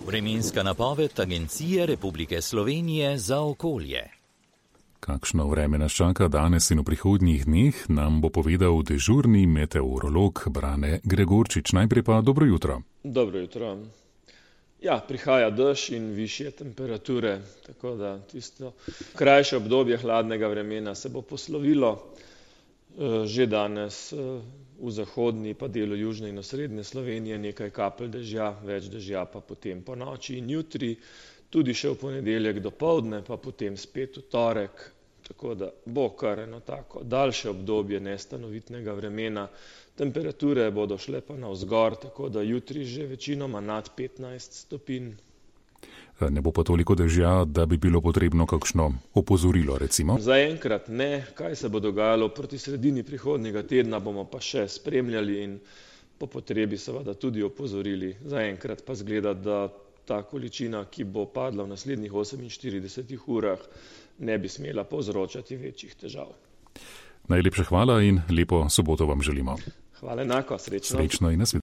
Vremenska napoved Agencije Republike Slovenije za okolje. Kakšno vreme nas čaka danes in v prihodnjih dneh, nam bo povedal dežurni meteorolog Brane Gregorčič. Najprej pa dobro jutro. Dobro jutro. Ja, prihaja dež in višje temperature, tako da tisto krajše obdobje hladnega vremena se bo poslovilo. Že danes v zahodni pa delu južne in osrednje Slovenije nekaj kapelj dežja, več dežja pa potem po noči in jutri, tudi še v ponedeljek dopoldne, pa potem spet v torek, tako da bo kar eno tako daljše obdobje nestanovitnega vremena. Temperature bodo šle pa navzgor, tako da jutri že večinoma nad 15 stopinj. Ne bo pa toliko dežja, da bi bilo potrebno kakšno opozorilo, recimo? Zaenkrat ne. Kaj se bo dogajalo proti sredini prihodnjega tedna, bomo pa še spremljali in po potrebi seveda tudi opozorili. Zaenkrat pa zgleda, da ta količina, ki bo padla v naslednjih 48 urah, ne bi smela povzročati večjih težav. Najlepša hvala in lepo soboto vam želimo. Hvala enako, srečno. Srečno in nasvidenje.